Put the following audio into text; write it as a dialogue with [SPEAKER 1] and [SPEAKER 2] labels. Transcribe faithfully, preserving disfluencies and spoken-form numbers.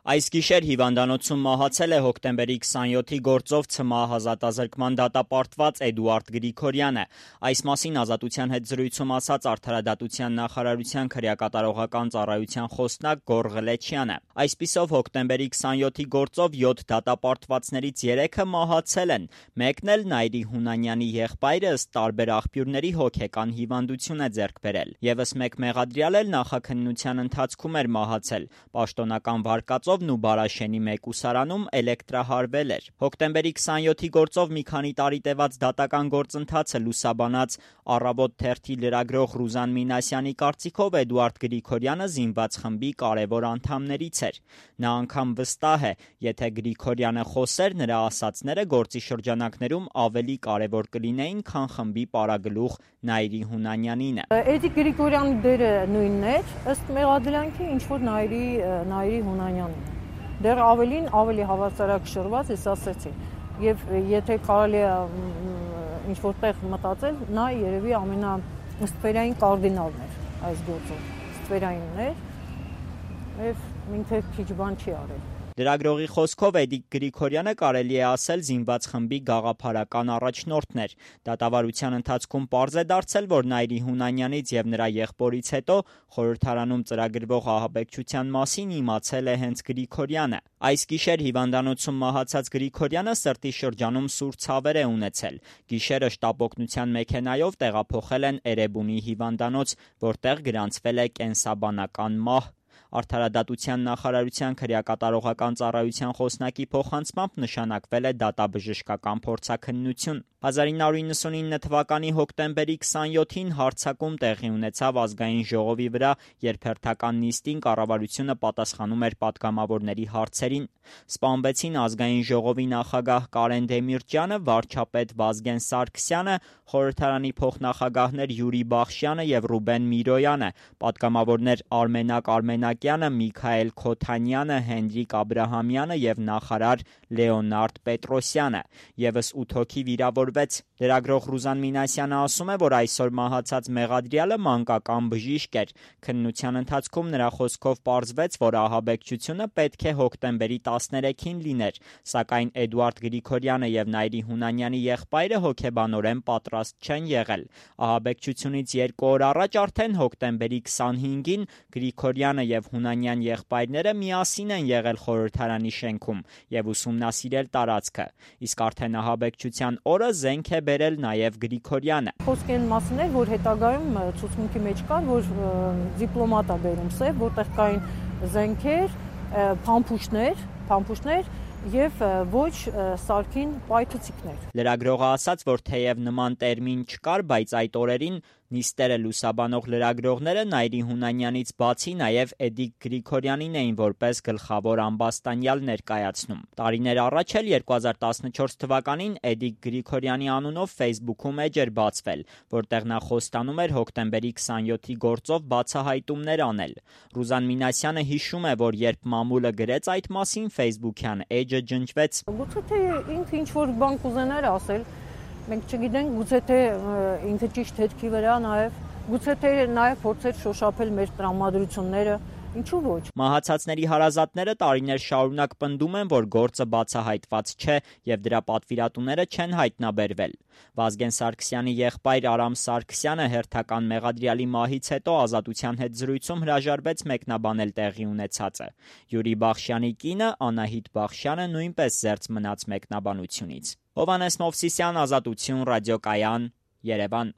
[SPEAKER 1] Այս գիշեր հիվանդանոցում մահացել է հոկտեմբերի քսանյոթի գործով ՑՄԱ ազատազրկման դատապարտված Էդուարդ Գրիգորյանը։ Այս մասին Ազատության հետ զրույցում ասաց Արդարադատության նախարարության քրեակատարողական ծառայության խոսնակ Գոռ Ղլեչյանը։ Այսպիսով հոկտեմբերի քսանյոթի գործով յոթ դատապարտվածներից երեքը մահացել են, մեկն էլ Նայիրի Հունանյանի եղբայրը ըստ տարբեր աղբյուրների հոգեկան հիվանդություն է ձեռք բերել։ Եվս մեկ մեղադրյալ էլ նախաքննության ընթացքում էր մահացել։ Պաշտոնական վարկածով ու Բարաշենի մեկուսարանում էլեկտրահարվել էր։ Հոկտեմբերի քսանյոթի գործով մի քանի տարի տևած դատական գործընթացը լուսաբանած «Առավոտ» թերթի լրագրող Ռուզան Մինասյանի կարծիքով Էդուարդ Գրիգորյանը զինված խմբի կարևոր անդամներից էր։ Նա անգամ վստահ է, եթե Գրիգորյանը խոսեր, նրա ասածները գործի շրջանակներում ավելի կարևոր կլինեին, քան խմբի պարագլուխ Նայիրի Հունանյանինը։
[SPEAKER 2] Էդիկ Գրիգորյանի դերը նույնն էր, ըստ մեղադրանքի, ինչ որ Նայիրի Նայիրի Հունանյանին։ Դեռ ավելին ավելի հավասարակշռված ես ասեցի, եւ եթե կարելի է ինչ-որ տեղ մտածել, նա երևի ամենաստվերային կարդինալն էր այս գործում, ստվերայինն էր, եւ ինքը քիչ բան չի արել։
[SPEAKER 1] Լրագրողի խոսքով Էդիկ Գրիգորյանը կարելի է ասել զինված խմբի գաղափարական առաջնորդն էր։ Դատավարության ընթացքում պարզ է դարձել, որ Նայիրի Հունանյանից եւ նրա եղբորից հետո խորհրդարանում ծրագրվող ահաբեկչության մասին իմացել է հենց Գրիգորյանը։ Այս գիշեր հիվանդանոցում մահացած Գրիգորյանը սրտի շրջանում սուր ցավեր է ունեցել։ Գիշերը շտապօգնության մեքենայով տեղափոխել են Էրեբունի հիվանդանոց, որտեղ գրանցվել է կենսաբանական մահ։ Արդարադատության նախարարության քրեակատարողական ծառայության խոսնակի փոխանցմամբ նշանակվել է դատաբժշկական փորձաքննություն։ հազար ինը հարյուր նվաթ թվականի հոկտեմբերի քսանյոթին հարձակում տեղի ունեցավ Ազգային ժողովի վրա, երբ հերթական նիստին կառավարությունը պատասխանում էր պատգամավորների հարցերին։ Սպանվեցին Ազգային ժողովի նախագահ Կարեն Դեմիրճյանը, վարչապետ Վազգեն Սարգսյանը, խորհրդարանի փոխնախագահներ Յուրի Բախշյանը եւ Ռուբեն Միրոյանը, պատգամավորներ Արմենակ Արմենակյանը, Միքայել Քոթանյանը, Հենրիկ Աբրահամյանը եւ նախարար Լեոնարդ Պետրոսյանը։ Եվս ութ հոգի վիրավորվեց։ Լրագրող Ռուզան Մինասյանը ասում է, որ այսօր մահացած մեղադրյալը մանկական բժիշկ էր։ Քննության ընթացքում նրա խոսքով պարզվեց, որ ահաբեկչությունը պետք է հոկտեմբերի տասներեքին լիներ, սակայն Էդուարդ Գրիգորյանը եւ Նայիրի Հունանյանի եղբայրը հոգեբանորեն պատրաստ չեն եղել։ Ահաբեկչությունից երկու օր առաջ արդեն հոկտեմբերի քսանհինգին Գրիգորյանը եւ Հունանյան եղբայրները միասին են եղել խորհրդարանի շենքում եւ ուսումնասիրել տարածքը, իսկ արդեն ահաբեկչության օրը զենք է բերել նաեւ Գրիգորյանը։
[SPEAKER 2] Խոսք այն մասին էր, որ հետագայում ցուցմունքի մեջ կար, որ դիպլոմատ է բերում սև, որտեղ կային զենքեր, փամփուշտներ, փամփուշտներ եւ ոչ սարքին պայթուցիկներ։
[SPEAKER 1] Լրագրողը ասաց, որ թեև նման տերմին չկար, բայց այդ օրերին նիստերը լուսաբանող լրագրողները Նայիրի Հունանյանից բացի նաև Էդիկ Գրիգորյանին էին որպես գլխավոր ամբաստանյալ ներկայացնում։ Տարիներ առաջ էլ երկու հազար տասնչորս թվականին Էդիկ Գրիգորյանի անունով Facebook-ում էջ էր բացվել, որտեղ նա խոստանում էր հոկտեմբերի քսանյոթի գործով բացահայտումներ անել։ Ռուզան Մինասյանը հիշում է, որ երբ մամուլը գրեց այդ մասին Facebook-յան էջը ջնջվեց։
[SPEAKER 2] Գուցե թե ինքը ինչ-որ բան կուզենար ասել, մենք չգիտենք, գուցե թե ինքը ճիշտ հետքի վրա նաև, գուցե թե նաև փորձեր շոշափել մեր տրամադրությունները, ինչու ոչ։
[SPEAKER 1] Մահացածների հարազատները տարիներ շարունակ պնդում են, որ գործը բացահայտված չէ եւ դրա պատվիրատուները չեն հայտնաբերվել։ Վազգեն Սարգսյանի եղբայր Արամ Սարգսյանը հերթական մեղադրյալի մահից հետո Ազատության հետ զրույցում հրաժարվեց մեկնաբանել տեղի ունեցածը։ Յուրի Բախշյանի կինը Անահիտ Բախշյանը նույնպես զերծ մնաց մեկնաբանությունից։ Հովհաննես Մովսիսյան, Ազատություն, ռադիոկայան, Երևան։